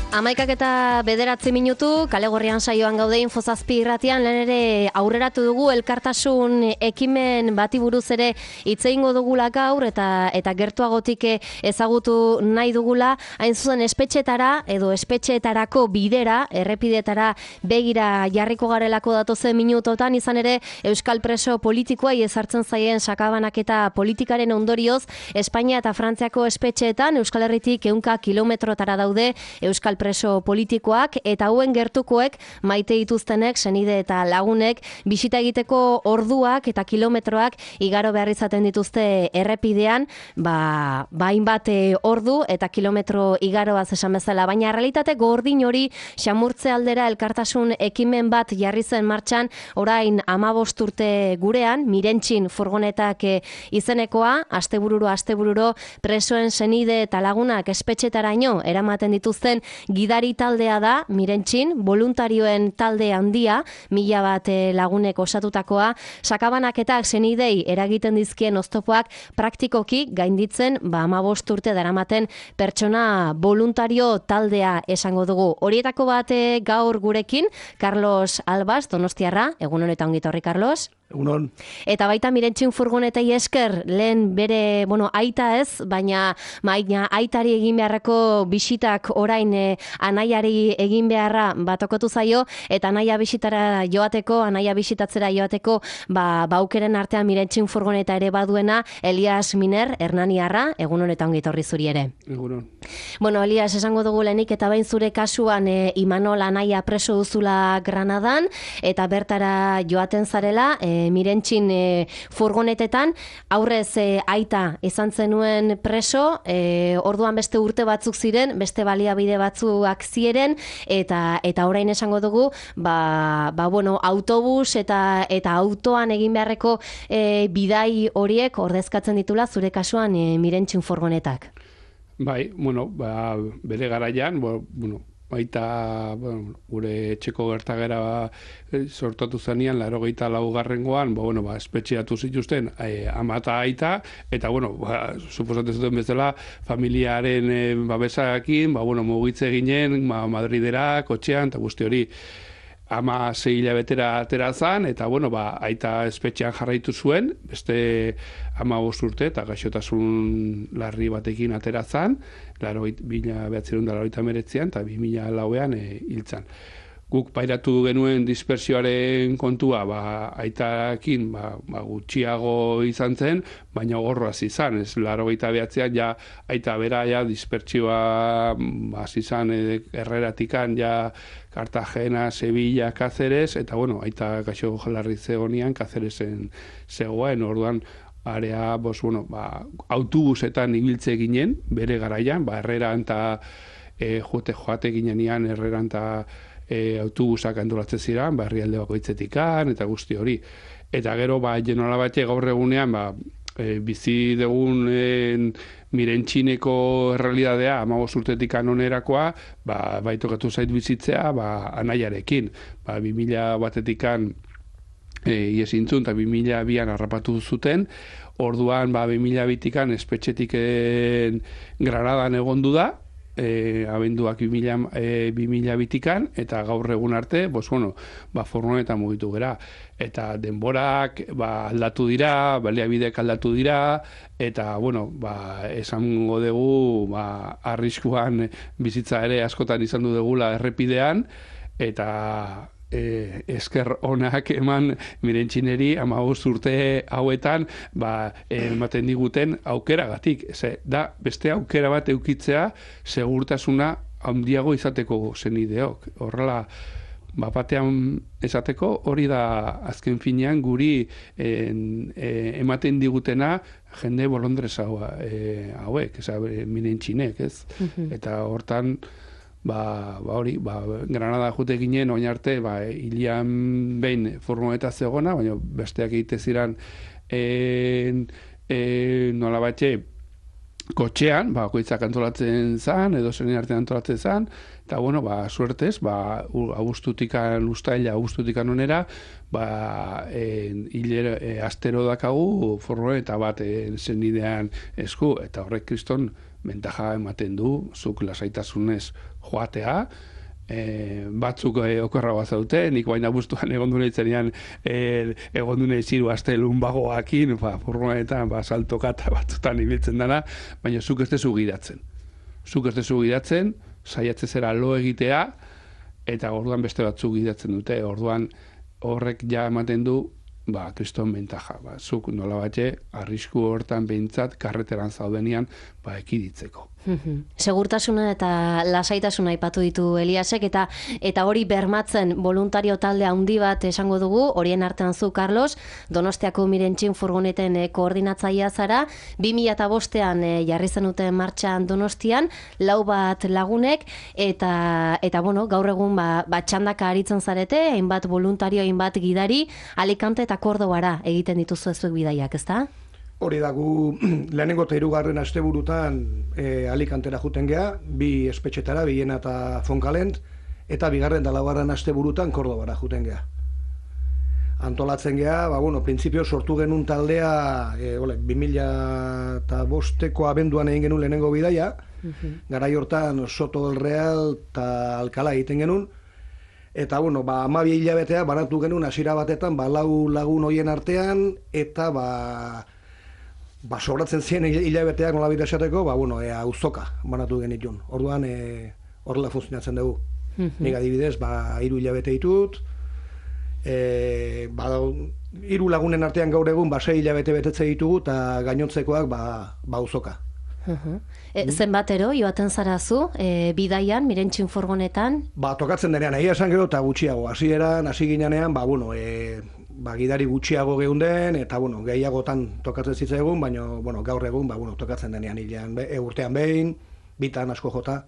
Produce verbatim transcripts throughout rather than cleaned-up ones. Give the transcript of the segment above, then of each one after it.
Amaikak eta bederatzi minutu, kale gorrian saioan gaude Infozazpi irratian, lehen ere aurreratu dugu elkartasun ekimen bati buruz ere hitz egingo dugula gaur eta eta gertuagotik ezagutu nahi dugula, hain zuzen espetxetara edo espetxetarako bidera, errepidetara begira jarriko garelako datozen minutotan, izan ere Euskal preso politikoai ezartzen zaien sakabanaketa politikaren ondorioz, Espainia eta Frantziako espetxeetan Euskal Herritik ehunka kilometrotara daude Euskal preso politikoak eta hauen gertukoek maite dituztenek, senide eta lagunek bisita egiteko orduak eta kilometroak igaro behar izaten dituzte errepidean, ba, hainbat ordu eta kilometro igaroaz esan bezala, baina realitate gordin hori xamurtze aldera elkartasun ekimen bat jarri zen martxan orain hamabost urte gurean, Mirentxin furgonetak izenekoa, astebururo astebururo presoen senide eta lagunak espetxetaraino eramaten dituzten gidari taldea da, Mirentxin, voluntarioen talde handia, mila bat lagunek osatutakoa, sakabanaketak senidei eragiten dizkien oztopoak praktikoki gainditzen, ba hamabost urte daramaten pertsona voluntario taldea esango dugu. Horietako bat gaur gurekin, Carlos Albaz, Donostiarra, egun honetan ongi etorri, Carlos. Egunon. Eta baita Mirentxin furgonetei esker, lehen bere, bueno, aita ez, baina maina aitari egin beharreko bisitak orain e, anaiari egin beharra batokotu zaio, eta anaia bisitara joateko, anaia bisitatzera joateko, ba, baukeren artean Mirentxin furgoneta ere baduena, Elias Miner, Hernaniarra, egun honetan ongi etorri zuri ere. Egunon. Bueno, Elias, esango dugu lehenik, eta bain zure kasuan e, Imanol anaia preso duzula Granadan, eta bertara joaten zarela, e, Mirentxin e, furgonetetan, aurrez e, aita izan zenuen preso, e, orduan beste urte batzuk ziren, beste baliabide batzuak ziren, eta eta orain esango dugu, ba, ba bueno, autobus eta eta autoan egin beharreko e, bidai horiek ordezkatzen ditula zure kasuan e, Mirentxin furgonetak. Bai, bueno, ba, bere garaian, bueno, baita bueno, gure etxeko gertagera ba, sortatu zanean, laurogeita laugarrengoan, ba, bueno, ba, espetxeatu zituzten e, ama eta aita, eta, bueno, ba, suposatzen zuten bezala, familiaren e, babesakin, ba, bueno, mugitze ginen, ba, Madridera, kotxean, eta guzti hori, ama sei hilabetera atera zan, eta, bueno, ba, aita espetxean jarraitu zuen, beste ama bost urte, eta gaixotasun larri batekin atera zan, mila bederatziehun eta laurogeita hemeretzian, eta bi mila lauean e, hiltzan. Guk pairatu genuen dispersioaren kontua, ba, aitakin ba, ba, gutxiago izan zen, baina gorroaz izan. Ez laurogeita bederatzian ja aita bera ja dispertsioa ba, izan e, Herreratikan ja Cartagena, Sevilla, Cáceres, eta bueno, aita gaixo larri zegonean Cáceresen zegoen, orduan area, bos, bueno, ba, autobusetan ibiltze ginen, bere garaian, ba, Herreran eta e, jote joate ginenean Herreran eta e, autobusak antolatzen ziren, ba, herrialde bakoitzetikan, eta guzti hori. Eta gero, ba, genola batxe gaur egunean, ba, e, bizi dugun e, Mirentxineko errealidadea, hamabost urtetik onerakoa, ba, baitokatu zait bizitzea, ba, anaiarekin. Ba, bi mila batetikan E, iesintzun eta bi mila bian harrapatu zuten, orduan ba, bi mila bitikan espetxetik Granadan egondu da, e, abenduak bi mila bitikan, eta gaur egun arte, bos, bueno, ba, furgonetan mugitu gera. Eta denborak ba, aldatu dira, baliabidek aldatu dira, eta, bueno, ba, esango dugu, ba, arriskuan bizitza ere askotan izan du dugula errepidean, eta E, esker onak eman Mirentxineri hamabost urte hauetan ba, ematen diguten aukeragatik. Ze, da beste aukera bat eukitzea segurtasuna handiago izateko zenideok. Horrela, bapatean esateko hori da azken finean guri en, e, ematen digutena jende bolondrez hau, e, hauek, eza, Mirentxinek, ez? Mm-hmm. Eta hortan Ba, ba hori, ba, Granada jute ginen, oin arte, ba, hilian behin furgoneta zegona, baina besteak egite ziren e, e, nola batxe kotxean, ba, koitzak antolatzen zan, edo zen artean antolatzen zan, eta, bueno, ba, suertez, ba, augustutikan, ustaila, augustutikan onera, ba, e, hilero, e, astero dakagu furgoneta bat e, zenidean esku, eta horrek kriston bentaja ematen du, zuk lasaitasunez joatea, E, batzuk e, okorra bat zaute, nik baina bustuan egon dune itzenean e, egon dune ziru aste lunbagoakin, ba, furgonetan, ba, saltoka eta batzutan ibiltzen dana, baina zuk ez dezu gidatzen. Zuk ez dezu gidatzen, saiatze zera lo egitea, eta orduan beste batzuk gidatzen dute, orduan horrek ja ematen du, ba, kriston bentaja. Ba, zuk nola batxe, arrisku hortan behintzat, karreteran zaudenian, ba, ekiditzeko. Segurtasuna eta lasaitasuna aipatu ditu Eliasek, eta eta hori bermatzen voluntario talde handi bat esango dugu, horien artean zu, Carlos, Donostiako Mirentxin furgoneten e, koordinatzailea zara, bi mila bostean e, jarri zenuten martxan Donostian, lau bat lagunek, eta, eta bueno, gaur egun ba, ba, txandaka aritzen zarete, hainbat voluntario, hainbat gidari, Alicante eta Kordobara egiten dituzu ezuek bidaiak, ezta? Hori da, gu lehenengo eta hirugarren asteburutan e, Alicantera juten gea, bi espetxetara, Villena eta Foncalent, eta bigarren da laugarren asteburutan Kordobara juten gea. Antolatzen gea, ba, bueno, printzipio sortu genuen taldea, e, ole, bi mila bosteko abenduan egin genuen lehenengo bidaia, uh-huh. Garai hortan Soto del Real eta Alcalá egiten genuen, eta, bueno, ba, hamabi hilabetea banatu genuen hasiera batetan, ba, lau lagun hoien artean, eta, ba, Ba, sobratzen ziren hilabeteak nola bide esateko, ba, bueno, e, auzoka banatu genitun. Orduan, e, horrela funtzionatzen dugu. Mm-hmm. Nik adibidez, ba, hiru hilabete ditut, e, ba, hiru lagunen artean gaur egun, ba, sei hilabete betetze ditugu, eta gainontzekoak, ba, ba auzoka. Uh-huh. E, zenbatero, joaten zarazu, e, bidaian, Mirentxin furgonetan? Ba, tokatzen denean, egia esan gero, eta gutxiago. Hasieran, hasi ginean, ba, bueno, e, ba, gidari gutxiago geunden, eta, bueno, gehiagotan tokatzen zitzaigun, baina, bueno, gaur egun, ba, bueno, tokatzen denean hilean, be, urtean behin, bitan asko jota.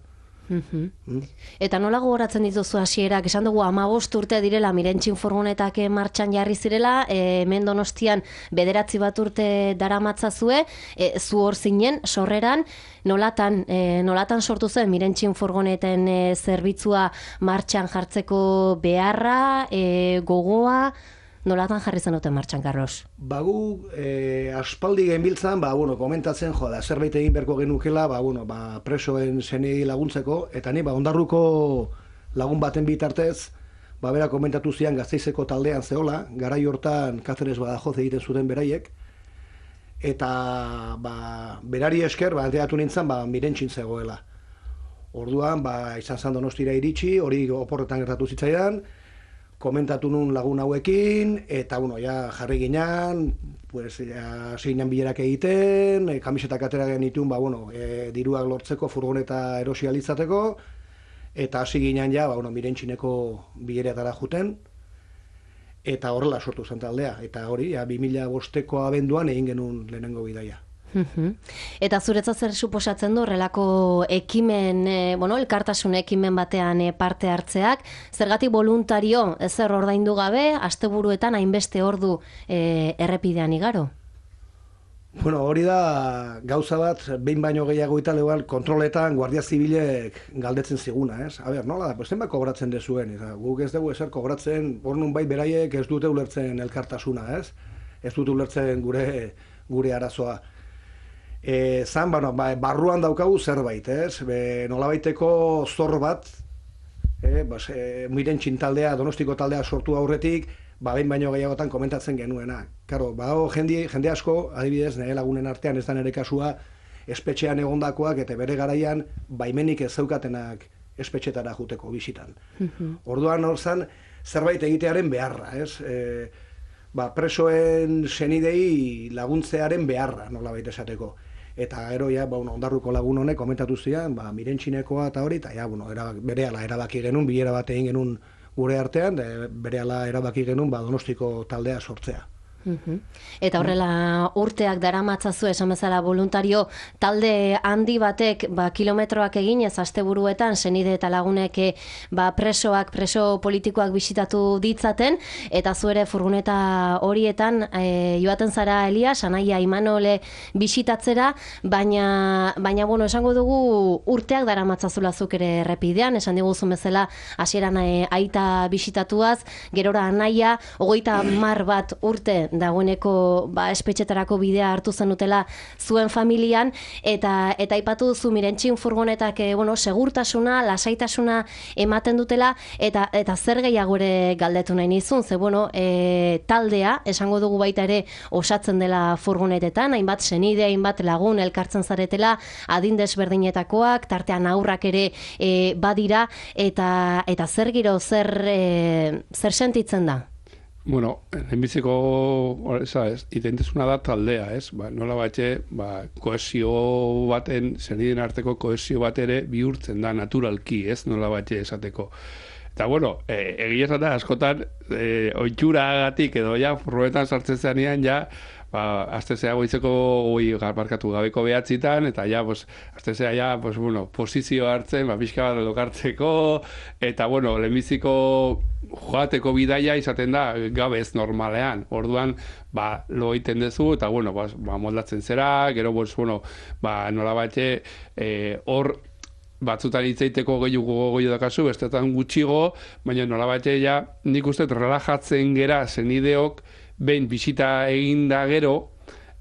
Uh-huh. mm? Eta nola gogoratzen dituzu hasierak, esan dugu hamabost urte direla Mirentxin furgonetak martxan jarri zirela, e, hemen Donostian bederatzi bat urte daramatzazue, e, zu hor zinen, sorreran, nolatan, e, nolatan sortu zen Mirentxin furgoneten e, zerbitzua martxan jartzeko beharra, e, gogoa, nolatan jarri zenuten martxan, Carlos? Bagu, e, aspaldi genbiltzan, ba, bueno, komentatzen, jo, da, zerbait egin berko genukela, ba, bueno, ba, presoen zenei laguntzeko, eta ni, ba, ondarruko lagun baten bitartez, ba, bera komentatu zian Gasteizeko taldean zehola, garai hortan Cáceres Badajoz egiten zuten beraiek, eta, ba, berari esker, ba, enteatu nintzen, ba, Mirentxin zegoela. Orduan, ba, izan zan Donostira iritsi, hori oporretan gertatu zitzaidan, komentatu nun lagun hauekin, eta, bueno, ja, jarri ginean, pues, ja, zeinan bilerak egiten, e, kamisetak atera genitun, ba, bueno, e, diruak lortzeko, furgoneta erosialitzateko, eta hasi ginean ja, ba, bueno, Mirentxineko bileretara juten, eta horrela sortu zen taldea, eta hori, ja, bi mila bosteko abenduan egin genuen lehenengo bidaia. Eta zuretzat zer suposatzen du horrelako ekimen, e, bueno, elkartasun ekimen batean e, parte hartzeak, zergatik voluntario ezer ordaindu gabe, asteburuetan hainbeste ordu e, errepidean igaro? Bueno, hori da gauza bat, behin baino gehiago eta legal kontroletan Guardia Zibilek galdetzen ziguna, ez? A ber, nola da, pues zenbat kobratzen dezuen, eta guk ez dugu ezer kobratzen, hor nun bai beraiek ez dute ulertzen elkartasuna, ez? Ez dute ulertzen gure, gure arazoa. E, zan, bueno, ba, barruan daukagu zerbait, ez? Be, nolabaiteko zor bat, e, bas, e, Mirentxin taldea, Donostiko taldea sortu aurretik, ba, behin baino gehiagotan komentatzen genuena. Karo, ba, jende, jende asko, adibidez, nire lagunen artean ez da nire kasua, espetxean egondakoak eta bere garaian baimenik ez zeukatenak espetxetara juteko bisitan. Mm-hmm. Orduan hor zan, zerbait egitearen beharra, ez? E, ba, presoen senidei laguntzearen beharra, nolabait esateko. Eta gero, ja, ba, ondarruko lagun honek komentatu zian, ba, Mirentxinekoa eta hori, eta ja, bueno, erabak, berehala erabaki genuen, bilera bat egin genuen gure artean, berehala erabaki genuen, ba, Donostiko taldea sortzea. Uh-huh. Eta horrela urteak daramatzazu esan bezala voluntario talde handi batek ba, kilometroak eginez asteburuetan senide eta lagunek ba, presoak, preso politikoak bisitatu ditzaten, eta zuere furgoneta horietan e, joaten zara Elias, Anaia Imanole bisitatzera, baina, baina bueno, esango dugu urteak daramatzazula zuk ere errepidean, esan diguzun bezala hasieran e, aita bisitatuaz, gerora Anaia, hogeita mar bat urte dagoeneko ba, espetxetarako bidea hartu zenutela zuen familian, eta eta aipatu duzu Mirentxin furgonetak e, bueno, segurtasuna, lasaitasuna ematen dutela, eta eta zer gehiago ere galdetu nahi nizun, ze bueno, e, taldea, esango dugu baita ere osatzen dela furgonetetan, hainbat senide, hainbat lagun elkartzen zaretela, adin desberdinetakoak, tartean aurrak ere e, badira, eta eta zer giro, zer, e, zer sentitzen da? Bueno, lehenbiziko, ez, itentezuna da taldea, ez? Ba, nola batxe, ba, koesio baten, zeniden arteko koesio bat ere bihurtzen da naturalki, ez? Nola batxe esateko. Eta, bueno, e, egia esan da, askotan, e, oitxuragatik edo ja, furgonetan sartzen zenean, ja, ba, aztezea goizeko goi garbarkatu gabeko behatzitan, eta ja, pues, aztezea ja, pues, bueno, posizio hartzen, ba, pixka bat lokartzeko, eta, bueno, lehenbiziko joateko bidaia izaten da gabez normalean. Orduan, ba, lo egiten dezu, eta, bueno, ba, ba moldatzen zera, gero, pues, bueno, ba, nola batxe, hor, e, batzutan hitzeiteko gehiago gogoio dakazu, bestetan gutxigo, baina nola batxe ja, nik uste relajatzen gera zenideok, behin bisita egin da gero,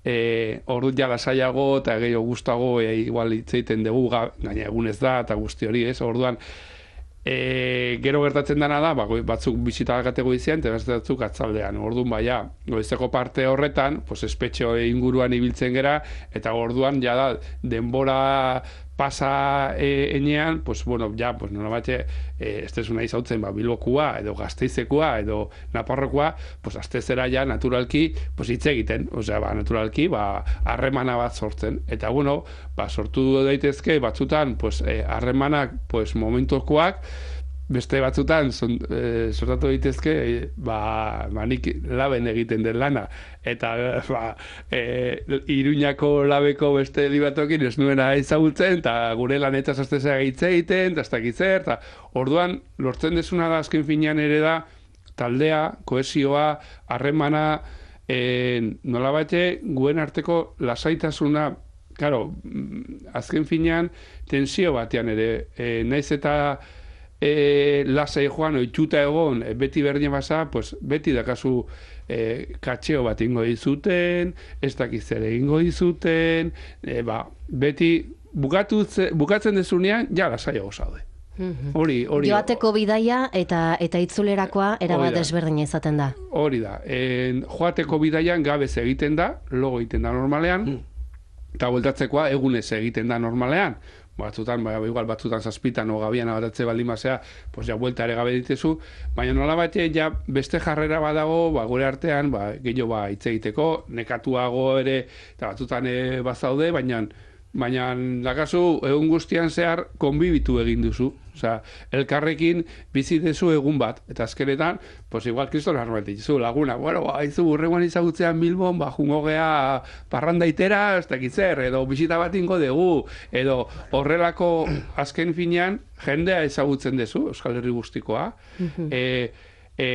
e, ordu ja lasaiago eta gehiago gustago e, igual hitzeiten dugu, gaina egunez da eta guzti hori, ez? Orduan, e, gero gertatzen dena da, ba, batzuk bisita gatego izan, eta beste batzuk atzaldean. Orduan, baina, goizeko parte horretan, pues, espetxo inguruan ibiltzen gera, eta orduan, ja da, denbora pasa e, enean, pues, bueno, ja, pues, nola batxe, e, estesuna izautzen, ba, Bilbokua, edo Gasteizekua, edo Naparrokoa, pues, astezera ja, naturalki, pues, hitz egiten, osea, ba, naturalki, ba, harremana bat sortzen. Eta, bueno, ba, sortu daitezke, batzutan, pues, harremanak, pues, momentokoak, beste batzutan son, e, sortatu daitezke, e, ba, ba, nik laben egiten den lana. Eta, ba, e, Iruñako labeko beste libatokin ez nuena ezagutzen, eta gure lanetaz aztezea hitz egiten, eta ez dakit zer, eta orduan, lortzen desuna da azken finean ere da, taldea, kohesioa, harremana, e, nola batxe, guen arteko lasaitasuna, claro, azken finean, tensio batean ere, e, naiz eta E, lasai joan, oitxuta egon, e, beti berdin basa, pues, beti dakazu e, katxeo bat ingo dizuten, ez dakiz ere ingo dizuten, e, ba, beti bukatu, bukatzen dezunean, ja lasaiago zaude. Hori, hori. Joateko bidaia eta eta itzulerakoa erabat desberdina izaten da. Hori da. En, joateko bidaian gabez egiten da, logo egiten da normalean, eta bueltatzekoa egunez egiten da normalean. Batzutan, ba, igual batzutan zazpitan o gabian abatatze baldin basea, pues ja buelta ere gabe ditezu, baina nola batxe, ja beste jarrera badago, ba, gure artean, ba, gehiago ba, hitz egiteko, nekatuago ere, eta batzutan e, bazaude, baina baina dakazu egun guztian zehar konbibitu egin duzu. Osea, elkarrekin bizi dezu egun bat, eta azkenetan, pues igual kriston armatik zu laguna, bueno, ba, izu burrengoan izagutzean Bilbon, ba, jungo gea parrandaitera, ez dakit zer, edo bisita bat ingo dugu, edo horrelako azken finean jendea ezagutzen dezu, Euskal Herri guztikoa, e, e,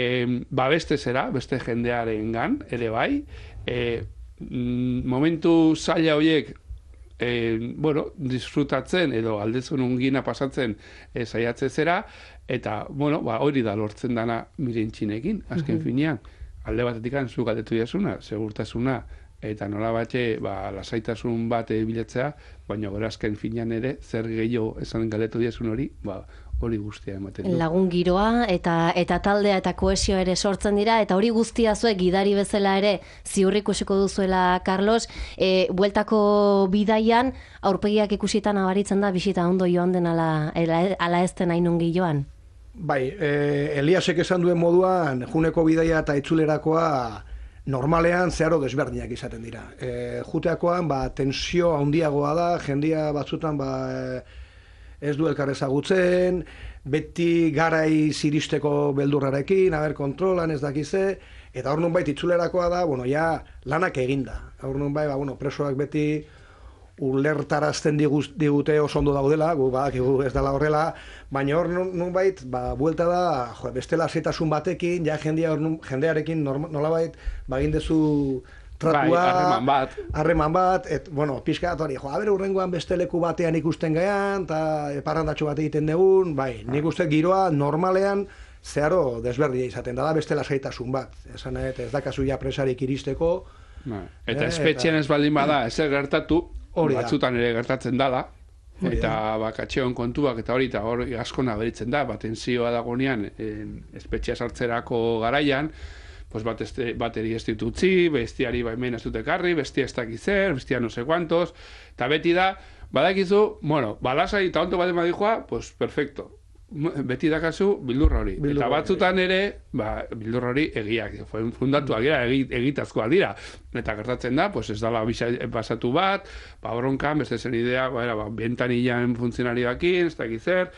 ba beste zera, beste jendearengan ere bai, e, momentu zaila horiek, E, bueno, disfrutatzen edo aldezun ungina pasatzen e, saiatze zera, eta, bueno, ba, hori da lortzen dana Mirentxinekin, azken finean. Alde batetik zu galdetu jasuna, segurtasuna, eta nola batxe, ba, lasaitasun bat bilatzea, baina gora azken finean ere, zer gehiago esan galdetu jasun hori, ba, hori guztia ematen du. Lagun giroa eta eta taldea eta kohesio ere sortzen dira, eta hori guztia zuek gidari bezala ere ziur ikusiko duzuela, Carlos, e, bueltako bidaian aurpegiak ikusitan abaritzen da bisita ondo joan den ala, ala ez den hainungi joan? Bai, e, Eliasek esan duen moduan, juneko bidaia eta itzulerakoa normalean zeharo desberdinak izaten dira. E, juteakoan, ba, tensio handiagoa da, jendia batzutan, ba, e, ez du elkar ezagutzen, beti garai ziristeko beldurrarekin, haber kontrolan ez dakize, eta hor nunbait itzulerakoa da, bueno, ja, lanak eginda. Hor nunbait, ba, bueno, presoak beti ulertarazten digute oso ondo daudela, gu badakigu ez dela horrela, baina hor nunbait, ba, buelta da, jo, beste lasetasun batekin, ja jendia hor jendearekin nolabait, bagin dezu tratua, bai, harreman bat. Harreman bat, et, bueno, pixka bat hori, jo, abere urrengoan beste leku batean ikusten gaian, eta parrandatxo bat egiten dugun, bai, nik uste giroa normalean zeharo desberdia izaten da, da beste lasaitasun bat. Esan nahi, ez dakazu ja presarik iristeko. Eta espetxean ez baldin bada, ez gertatu, batzutan ere gertatzen dala, eta bakatxeon kontuak eta hori, eta hori asko nabaritzen da, bat tentsioa dagonean, espetxea sartzerako garaian, pues bat, este, bateri ez ditutzi, bestiari baimen ez dut ekarri, bestia ez dakizer, bestia no sé cuantos, eta beti da, badakizu, bueno, balasai eta onto baten badikoa, pues perfecto. Beti dakazu bildurra hori. Bildur eta batzutan ere, ba, bildurra hori egiak, fundatuak dira, egitazkoak dira. Eta gertatzen da, pues ez dala pasatu bat, ba, bronkan, beste zen idea, ba, ba, bentanilan funtzionarioakin, ez dakizer,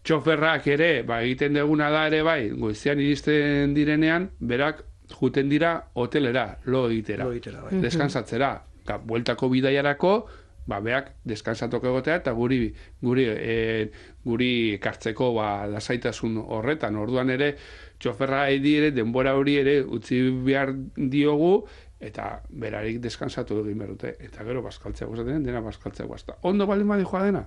txoferrak ere, ba, egiten deguna da ere bai, goizean iristen direnean, berak juten dira hotelera, lo egitera, lo egitera bai. Deskansatzera, eta bueltako bidaiarako, ba, beak deskansatok egotea eta guri guri e, guri ekartzeko ba, lasaitasun horretan. Orduan ere, txoferra ere denbora hori ere utzi behar diogu eta berarik deskansatu egin behar dute. Eta gero bazkaltzea gustatzen dena bazkaltzea guazta. Ondo baldin badikoa dena,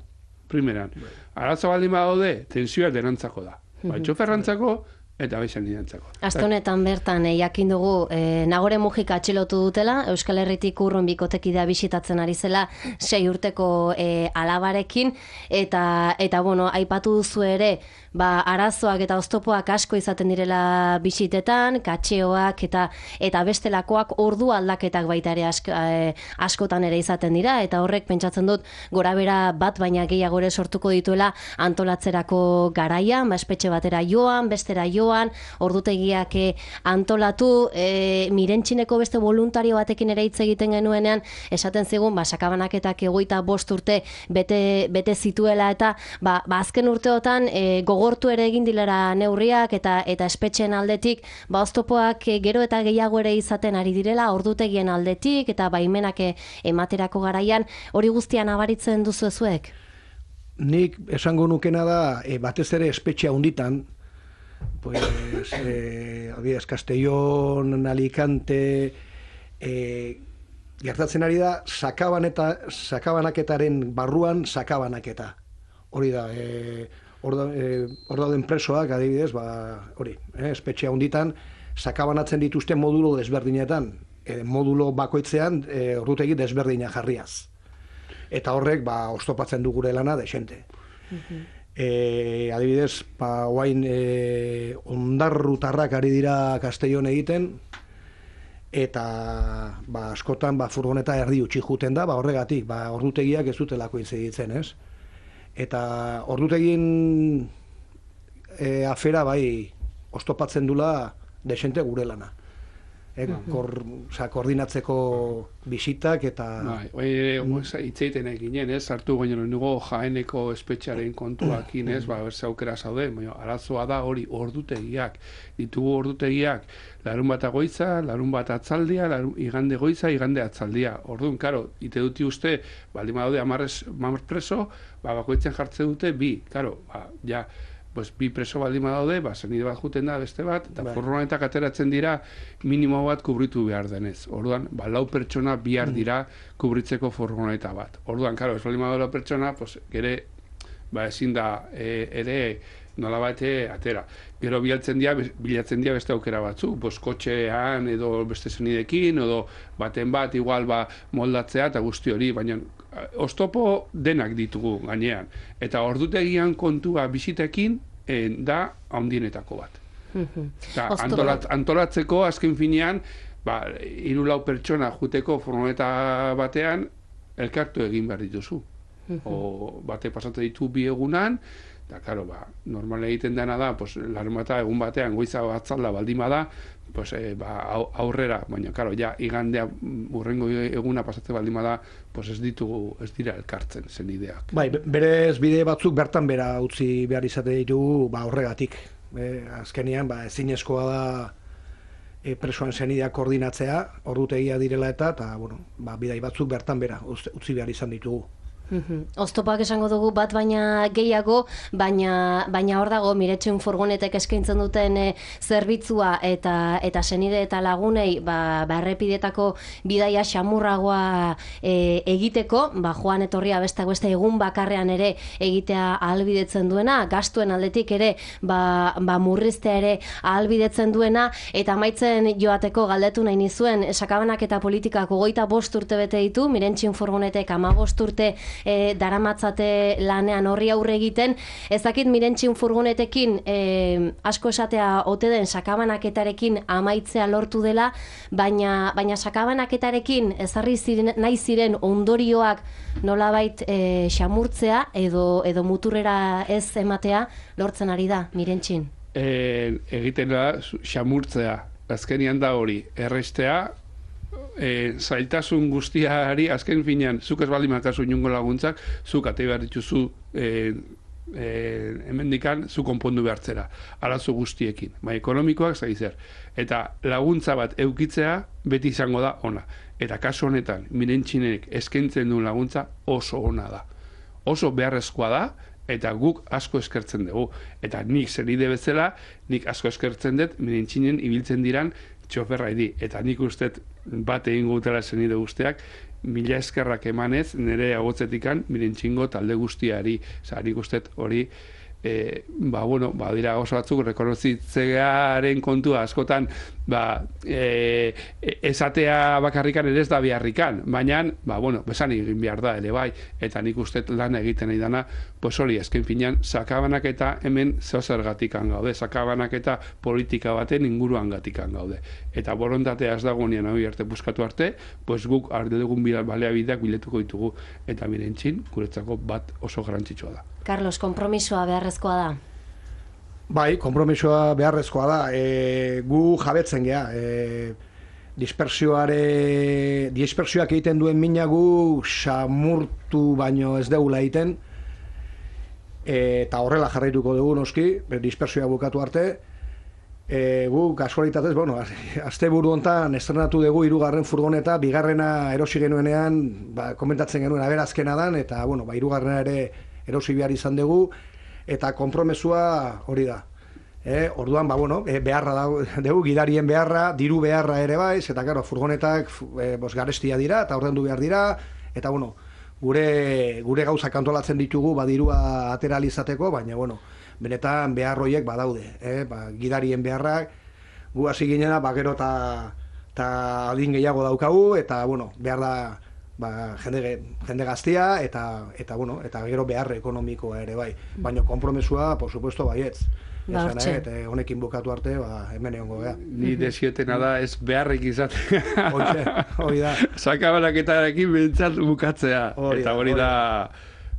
primeran. Arazo baldin badaude, tensioa denantzako da. Ba, txoferrantzako eta beixan nidantzako. Aste honetan bertan, eh, jakin dugu, eh, Nagore Mujika atxilotu dutela, Euskal Herritik urrun bikotekidea bisitatzen ari zela sei urteko eh, alabarekin, eta, eta bueno, aipatu duzu ere, ba, arazoak eta oztopoak asko izaten direla bisitetan, katxeoak eta eta bestelakoak ordu aldaketak baita ere ask, eh, askotan ere izaten dira, eta horrek pentsatzen dut gorabera bat baina gehiago ere sortuko dituela antolatzerako garaian, ba, espetxe batera joan, bestera joan, ordutegiak antolatu, e, Mirentxineko beste voluntario batekin ere hitz egiten genuenean, esaten zigun, ba, sakabanaketak egoita bost urte bete, bete zituela, eta ba, ba, azken urteotan e, gogortu ere egin dilera neurriak, eta eta espetxeen aldetik, ba, oztopoak e, gero eta gehiago ere izaten ari direla, ordutegien aldetik, eta baimenak e, ematerako garaian, hori guztian abaritzen duzu ezuek? Nik esango nukena da, e, batez ere espetxea hunditan, pues, eh, adibidez, Castellón, Alicante, eh, gertatzen ari da, sakabaneta, sakabanaketaren barruan sakabanaketa. Hori da, eh, hor eh, dauden presoak, adibidez, ba, hori, eh, espetxea hunditan, sakabanatzen dituzte modulo desberdinetan, eh, modulo bakoitzean eh, ordutegi desberdina jarriaz. Eta horrek, ba, oztopatzen du gure lana desente. Uh-huh. E, adibidez, ba, oain e, ondarrutarrak ari dira Castellón egiten, eta ba, askotan ba, furgoneta erdi utxi juten da, ba, horregatik, ba, ordutegiak ez dutelako itzeditzen, ez? Eta ordutegin e, afera bai oztopatzen dula desente gure lana. E, kor, oza, koordinatzeko bisitak eta... Bai, bai, itzeiten eginen, ez, hartu goinen nugo Jaeneko espetxearen kontuakin, ez, ba, berze aukera zaude, baina arazoa da hori ordutegiak, ditugu ordutegiak, larun bat goiza, larun bat atzaldia, larun, igande goiza, igande atzaldia. Orduan, karo, ite duti uste, baldin badaude hamar preso, ba, bakoitzen jartzen dute bi, karo, ba, ja, pues, bi preso baldin badaude, ba, zenide bat juten da beste bat, eta bai, furgonetak ateratzen dira minimo bat kubritu behar denez. Orduan, ba, lau pertsona bihar dira kubritzeko furgoneta bat. Orduan, karo, ez baldin badaude lau pertsona, pues, gere, ba, ezin da e, ere nola bate atera. Gero bilatzen dira, bilatzen dira beste aukera batzu, pues, kotxean edo beste zenidekin, edo baten bat, igual, ba, moldatzea eta guzti hori, baina oztopo denak ditugu gainean. Eta ordutegian kontua bisitekin eh, da handienetako bat. Eta antolat, antolatzeko azken finean, ba, hiru lau pertsona juteko furgoneta batean elkartu egin behar dituzu. O bate pasatzen ditu bi egunan, eta, karo, ba, normal egiten dena da, pues, larun bata egun batean goiza batzalda baldima da, pues, e, ba, aurrera, baina, karo, ja, igandea urrengo eguna pasatzen baldima da, pues, ez ditugu, ez dira elkartzen zen ideak. Bai, berez bide batzuk bertan bera utzi behar izate ditugu, ba, horregatik. E, azkenean, ba, ezinezkoa da e, presoan zenideak koordinatzea, ordutegia direla eta, eta, bueno, ba, bidai batzuk bertan bera utzi behar izan ditugu. Oztopak esango dugu bat baina gehiago, baina baina hor dago Miretxun furgonetek eskaintzen duten e, zerbitzua eta eta senide eta lagunei ba, ba errepideetako bidaia xamurragoa e, egiteko, ba joan etorria besteak beste egun bakarrean ere egitea ahalbidetzen duena, gastuen aldetik ere ba, ba murriztea ere ahalbidetzen duena, eta amaitzen joateko galdetu nahi nizuen, sakabanak eta politikak hogeita bost urte bete ditu, Miretxun furgonetek hamabost urte E, daramatzate lanean horri aurre egiten, ez dakit Miretxun furgonetekin e, asko esatea ote den sakabanaketarekin amaitzea lortu dela, baina, baina sakabanaketarekin ezarri ziren, nahi ziren ondorioak nolabait e, xamurtzea edo, edo muturrera ez ematea lortzen ari da Miretxun. E, egiten da xamurtzea, azkenian da hori, errestea, E, zailtasun guztiari azken finean zuk ez baldin makazu inungo laguntzak, zuk ate behar dituzu e, e, hemendikan zu konpondu behartzera arazo guztiekin, bai ekonomikoak zai zer, eta laguntza bat eukitzea beti izango da ona, eta kasu honetan Miretxunek eskaintzen duen laguntza oso ona da, oso beharrezkoa da, eta guk asko eskertzen dugu, eta nik zenide bezala nik asko eskertzen dut Miretxunen ibiltzen diran txoferra idi, eta nik uste bat egin gutela zenide guztiak, mila eskerrak emanez nire agotzetikan Miretxungo talde guztiari, oza, nik uste hori e, ba, bueno, ba, dira oso batzuk rekonozitzearen kontua askotan ba, e, esatea bakarrikan ere ez da beharrikan, baina ba, bueno, besan egin behar da ere bai, eta nik uste lan egiten nahi dana, pues hori, ezken finean, sakabanak eta hemen zeozergatikan gaude, sakabanak eta politika baten inguruan gatikan gaude. Eta borondatea ez dagoenean hori arte buskatu arte, pues guk arde dugun baleabideak biletuko ditugu, eta Miretxun guretzako bat oso garrantzitsua da. Carlos, konpromisoa beharrezkoa da? Bai, konpromisoa beharrezkoa da. E, gu jabetzen gea. E, dispersioare, dispersioak egiten duen mina gu xamurtu baino ez degula egiten. E, eta horrela jarraituko dugu noski, dispersioa bukatu arte. E, gu kasualitatez, bueno, azte buru hontan estrenatu dugu hirugarren furgoneta, bigarrena erosi genuenean, ba, komentatzen genuen aberazkena dan, eta bueno, ba, hirugarrena ere erosi behar izan dugu, eta konpromesua hori da. E, orduan, ba, bueno, e, beharra dugu, gidarien beharra, diru beharra ere baiz, eta claro, furgonetak e, bos, garestia dira, eta ordendu behar dira, eta bueno, gure, gure gauzak antolatzen ditugu, ba, dirua ateralizateko, baina, bueno, benetan behar horiek badaude, eh? Ba, gidarien beharrak, gu hasi ginena, ba, gero eta adin gehiago daukagu, eta, bueno, behar da, ba, jende, jende gaztia, eta, eta, bueno, eta gero behar ekonomikoa ere bai. Baina konpromesua, por supuesto, baietz. Ba, hortxe. Eta honekin bukatu arte, ba, hemen egongo gea. Ni desietena da ez beharrik izatea. Hortxe, hori da. Sakabanaketarekin behintzat bukatzea. Hori eta da, hori hori da,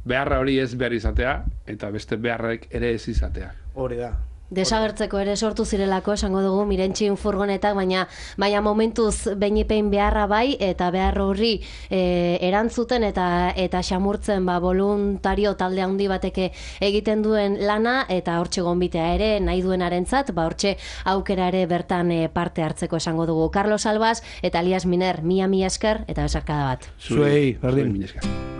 beharra hori ez behar izatea, eta beste beharrek ere ez izatea. Hori da. Desagertzeko ere sortu zirelako esango dugu Miretxun furgonetak, baina baina momentuz beinipein beharra bai, eta behar horri e, erantzuten eta eta xamurtzen ba, voluntario talde handi bateke egiten duen lana, eta hortxe gonbitea ere nahi duenarentzat, ba hortxe aukera ere bertan e, parte hartzeko esango dugu. Carlos Albas eta Elias Miner, mila mila esker eta besarkada bat. Zuei, berdin. Mila esker.